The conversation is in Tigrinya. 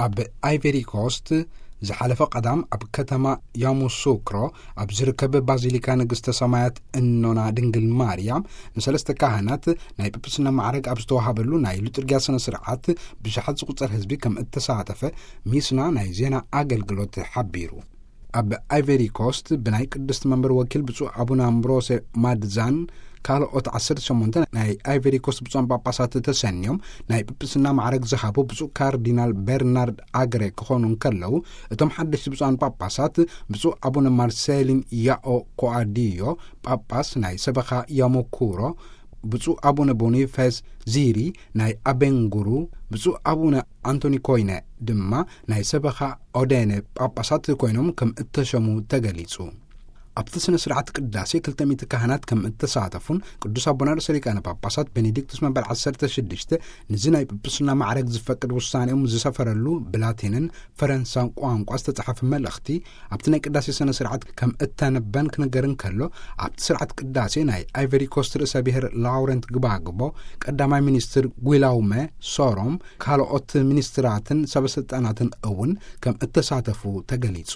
ኣብ ኣይቨሪ ኮስት ዝሓለፈ ቀዳም ኣብ ከተማ ያሙሱክሮ ኣብ ዝርከብ ባዚሊካ ንግስተ ሰማያት እኖና ድንግል ማርያም ንሰለስተ ካህናት ናይ ጵጵስና ማዕረግ ኣብ ዝተዋሃበሉ ናይ ሉጥርጊያ ስነ ስርዓት ብሽሓት ዝቁጸር ህዝቢ ከም እተሳተፈ ሚስና ናይ ዜና ኣገልግሎት ሓቢሩ። ኣብ ኣይቨሪ ኮስት ብናይ ቅድስቲ መንበር ወኪል ብፁዕ ኣቡነ ኣምብሮሴ ማድዛን ካልኦት ዓሰርተ ሸሞንተ ናይ ኣይቨሪ ኮስት ብፁዓን ጳጳሳት ተሰንዮም ናይ ጵጵስና ማዕረግ ዝሃቡ ብፁዕ ካርዲናል በርናርድ ኣግሬ ክኾኑ እንከለዉ፣ እቶም ሓደሽቲ ብፁዓን ጳጳሳት ብፁዕ ኣቡነ ማርሴሊን ያኦ ኮኣዲዮ ጳጳስ ናይ ሰበኻ ያሞኩሮ፣ ብፁዕ ኣቡነ ቦኒፌስ ዚሪ ናይ ኣቤንጉሩ፣ ብፁዕ ኣቡነ ኣንቶኒ ኮይነ ድማ ናይ ሰበኻ ኦዴነ ጳጳሳት ኮይኖም ከም እተሸሙ ተገሊጹ። ኣብቲ ስነ ስርዓት ቅዳሴ ክልተ ሚእቲ ካህናት ከም እተሳተፉን ቅዱስ ኣቦና ርእሰ ሊቃነ ጳጳሳት ቤኔዲክቱስ መበል ዓሰርተ ሽዱሽተ ነዚ ናይ ጵጵስና ማዕረግ ዝፈቅድ ውሳኔኦም ዝሰፈረሉ ብላቲንን ፈረንሳን ቋንቋ ዝተጻሓፈ መልእኽቲ ኣብቲ ናይ ቅዳሴ ስነ ስርዓት ከም እተነበን ክንገር እንከሎ፣ ኣብቲ ስርዓት ቅዳሴ ናይ ኣይቨሪ ኮስት ርእሰ ብሔር ላውረንት ግባግቦ፣ ቀዳማይ ሚኒስትር ጒላውመ ሶሮም፣ ካልኦት ሚኒስትራትን ሰበስልጣናትን እውን ከም እተሳተፉ ተገሊጹ።